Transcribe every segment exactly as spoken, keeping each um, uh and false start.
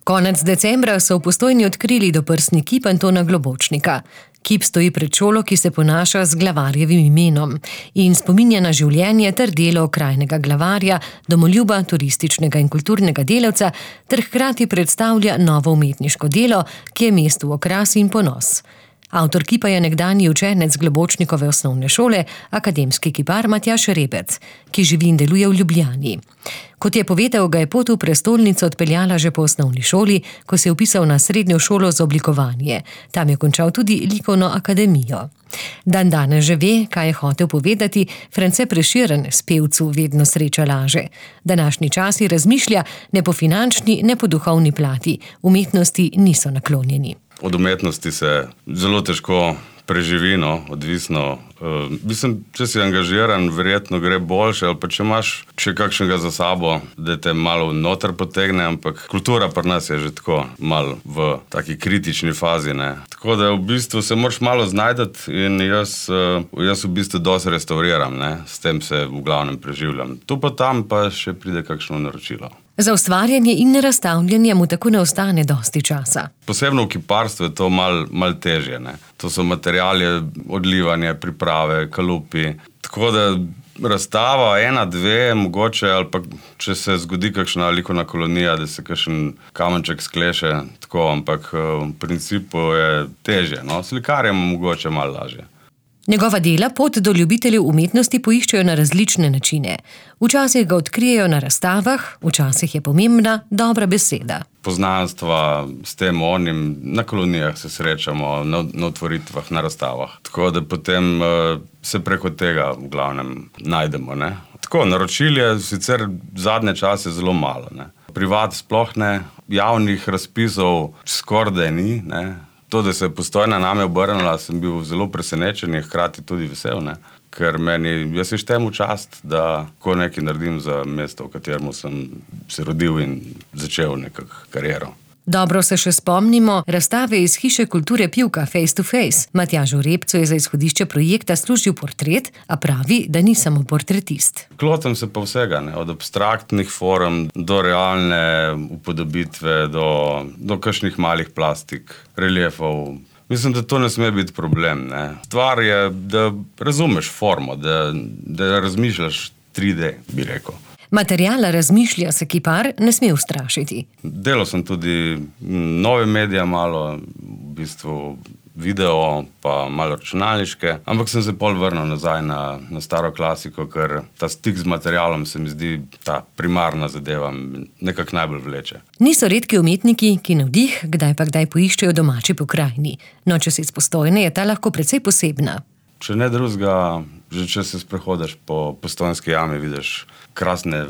Konec decembra so v Postojni odkrili doprsni kip Antona Globočnika. Kip stoji pred šolo, ki se ponaša z glavarjevim imenom in spominja na življenje ter delo okrajnega glavarja, domoljuba, turističnega in kulturnega delavca ter hkrati predstavlja novo umetniško delo, ki je mestu okras in ponos. Avtor kipa je nekdanji učenec Globočnikove osnovne šole, akademski kipar Matjaž Rebec, ki živi in deluje v Ljubljani. Kot je povedal, ga je pot v prestolnico odpeljala že po osnovni šoli, ko se je vpisal na srednjo šolo za oblikovanje. Tam je končal tudi likovno akademijo. Dan danes že ve, kaj je hotel povedati, France Prešeren s pevcu vedno sreča laže. Današnji časi razmišlja ne po finančni, ne po duhovni plati. Umetnosti niso naklonjeni. Od umetnosti se zelo težko preživi, no, odvisno. Uh, mislim, če si angažiran, verjetno gre boljše, ali pa če imaš še kakšnega za sabo, da te malo noter potegne, ampak kultura pri nas je že tako malo v taki kritični fazi, ne. Tako da v bistvu se moraš malo znajdati in jaz, uh, jaz v bistvu dosti restauriram, ne. S tem se v glavnem preživljam. Tu pa tam pa še pride kakšno naročilo. Za ustvarjanje in razstavljanje mu tako ne ostane dosti časa. Posebno v kiparstvu je to malo mal težje, ne. To so materiali, odlivanje, priprave, kalupi. Tako da razstava ena, dve, mogoče, ali pa če se zgodi kakšna likovna kolonija, da se kakšen kamenček skleše, tako, ampak v principu je težje, no. Slikarjem mogoče malo lažje. Njegova dela pot do ljubiteljev umetnosti poiščejo na različne načine. Včasih ga odkrijejo na razstavah, včasih je pomembna dobra beseda. Poznanstva s tem onim, na kolonijah se srečamo, na, na otvoritvah, na razstavah. Tako da potem uh, se preko tega v glavnem najdemo, ne. Tako, naročil je sicer zadnje čase zelo malo, ne. Privat sploh ne, javnih razpisov skoraj ni, ne. To, da se je Postojna name obrnila, sem bil zelo presenečen in hkrati tudi vesel, ne? Ker meni, jaz se štem v čast, da ko nekaj naredim za mesto, v katerem sem se rodil in začel nekako kariero. Dobro se še spomnimo razstave iz Hiše kulture Pivka Face to Face. Matjažu Repcu je za izhodišče projekta služil portret, a pravi, da ni samo portretist. Klotim se pa vsega, ne? Od abstraktnih form do realne upodobitve, do, do kakšnih malih plastik, reliefov. Mislim, da to ne sme biti problem, ne? Stvar je, da razumeš formo, da, da razmišljaš tri D, bi rekel. Materijala razmišlja se kipar ne sme ustrašiti. Delal sem tudi nove medije malo, v bistvu video, pa malo računalniške, ampak sem se pol vrnil nazaj na, na staro klasiko, ker ta stik z materialom se mi zdi ta primarna zadeva, nekako najbolj vleče. Niso redki umetniki, ki navdih kdaj pa kdaj poiščejo domači pokrajini. No, če si iz Postojne, je ta lahko precej posebna. Če ne drugega, že če se sprehodeš po Postojnski jami, vidiš krasne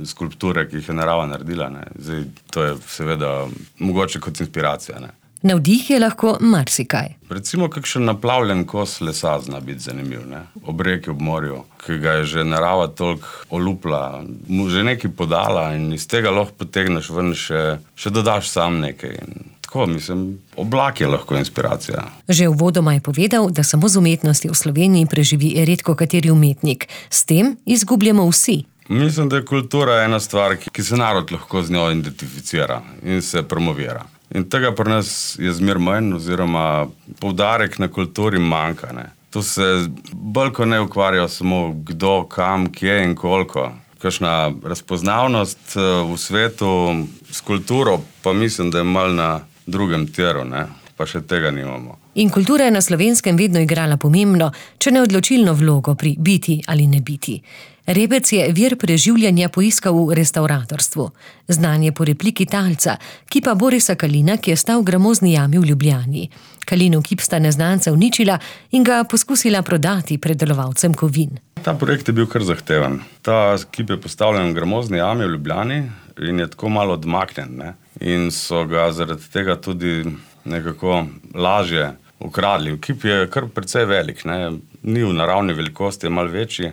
skulpture, ki jih je narava naredila, ne. Zdaj, to je seveda mogoče kot inspiracija, ne. Navdih je lahko marsikaj. Recimo kakšen naplavljen kos lesa zna biti zanimiv, ne. Ob reki, ob morju, ki ga je že narava toliko olupla, mu že nekaj podala in iz tega lahko potegneš ven še, še dodaš sam nekaj. Tako, mislim, oblak je lahko inspiracija. Že uvodoma je povedal, da samo z umetnosti v Sloveniji preživi redko kateri umetnik. S tem izgubljamo vsi. Mislim, da je kultura ena stvar, ki se narod lahko z njo identificira in se promovira. In tega pri nas je zmer manj, oziroma poudarek na kulturi manjka, ne. Tu se bolj ko ne ukvarjajo samo kdo, kam, kje in koliko. Kakšna razpoznavnost v svetu s kulturo, pa mislim, da je malo na drugem tiru, ne, pa še tega nimamo. In kultura je na Slovenskem vedno igrala pomembno, če ne odločilno vlogo pri biti ali ne biti. Rebec je vir preživljanja poiskal v restavratorstvu. Znan je po repliki talca, kipa Borisa Kalina, ki je stal v gramozni jami v Ljubljani. Kalinov kip sta neznanca uničila in ga poskusila prodati predelovalcem kovin. Ta projekt je bil kar zahteven. Ta kip je postavljen v gramozni jami v Ljubljani in je tako malo odmaknjen, ne. In so ga zaradi tega tudi nekako lažje ukradli. Kip je kar precej velik, ne. Ni v naravni velikosti, je malo večji.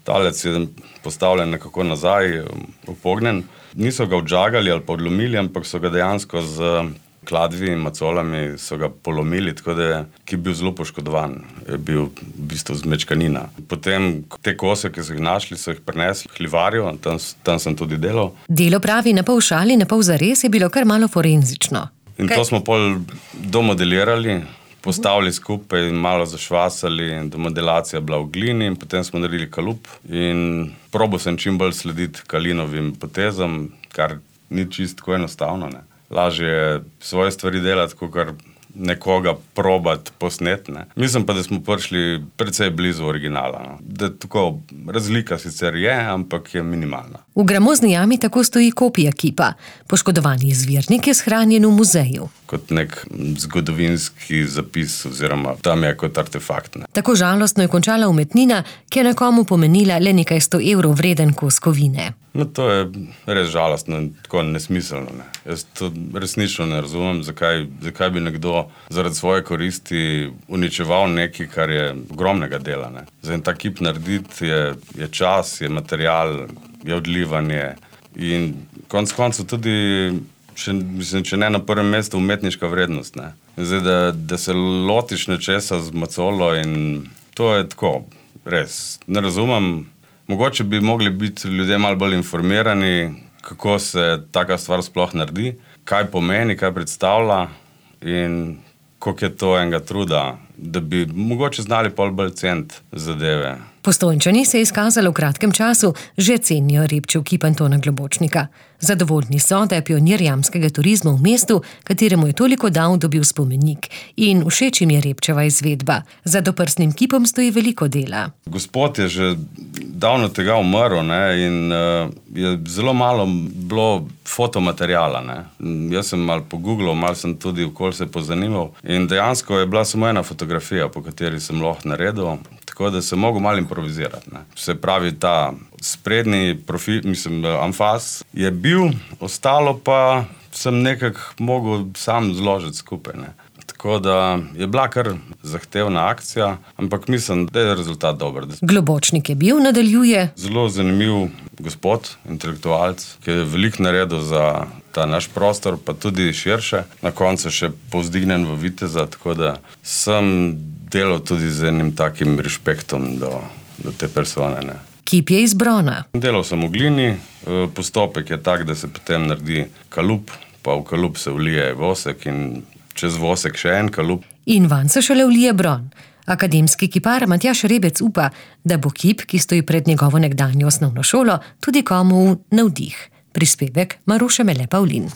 Talec je postavljen nekako nazaj, upognjen. Niso ga odžagali ali pa odlomili, ampak so ga dejansko z kladvi in macolami so ga polomili, tako da je kip bil zelo poškodovan. Je bil v bistvu zmečkanina. Potem te kose, ki so jih našli, so jih prinesli v Hlivarjo, tam, tam sem tudi delal. Delo, pravi, na pol šali, na pol zares, je bilo kar malo forenzično. In to smo pol domodelirali, postavili skupaj in malo zašvasali, in domodelacija bila v glini, in potem smo naredili kalup. In probal sem čim bolj slediti Kalinovim potezam, kar ni čisto tako enostavno, ne. Lažje je svoje stvari delati, kakor nekoga probati posnet, ne. Mislim pa, da smo prišli precej blizu originala, no. Da tako, razlika sicer je, ampak je minimalna. V gramozni jami tako stoji kopija kipa. Poškodovani izvirnik je shranjen v muzeju. Kot nek zgodovinski zapis, oziroma tam je kot artefakt, ne. Tako žalostno je končala umetnina, ki je nekomu pomenila le nekaj sto evrov vreden kos kovine. No, to je res žalostno in tako nesmiselno, ne. Jaz to resnično ne razumem, zakaj, zakaj bi nekdo zaradi svoje koristi uničeval nekaj, kar je ogromnega dela, ne. Za en tak kip narediti je, je čas, je material, je odlivanje in konec koncev tudi, še, mislim, če ne na prvem mestu, umetniška vrednost, ne. Zdaj, da, da se lotiš nečesa z macolo in to je tako, res, ne razumem. Mogoče bi mogli biti ljudje malo bolj informirani, kako se taka stvar sploh naredi, kaj pomeni, kaj predstavlja in koliko je to enega truda, da bi mogoče znali pol bolj ceniti zadeve. Postojnčani se je izkazalo v kratkem času, že cenijo Repčev kip Antona Globočnika. Zadovoljni so, da je pionir jamskega turizma v mestu, kateremu je toliko dal, dobil spomenik. In všeč jim je Repčeva izvedba. Za doprsnim kipom stoji veliko dela. Gospod je že davno tega umrl, ne, in uh, je zelo malo bilo fotomateriala, ne. Jaz sem malo pogooglal, malo sem tudi okoli se pozanimal in dejansko je bila samo ena fotografija, po kateri sem lahko naredil, tako da sem mogel malo improvizirati, ne. Se pravi, ta sprednji profil, mislim, amfas je bil, ostalo pa sem nekako mogel sam zložiti skupaj, ne. Tako da je bila kar zahtevna akcija, ampak mislim, da je rezultat dober. Globočnik je bil, nadaljuje. Zelo zanimiv gospod, intelektualec, ki je veliko naredil za ta naš prostor, pa tudi širše. Na koncu še povzdignen v viteza, tako da sem delal tudi z enim takim respektom do, do te persone, ne. Kip je iz brona. Delal sem v glini, postopek je tak, da se potem naredi kalup, pa v kalup se vlije vosek in čez vosek še en kalup. In vanj se šele vlije bron. Akademski kipar Matjaž Rebec upa, da bo kip, ki stoji pred njegovo nekdanjo osnovno šolo, tudi komu navdih. Prispevek Maruše Mele Pavlin.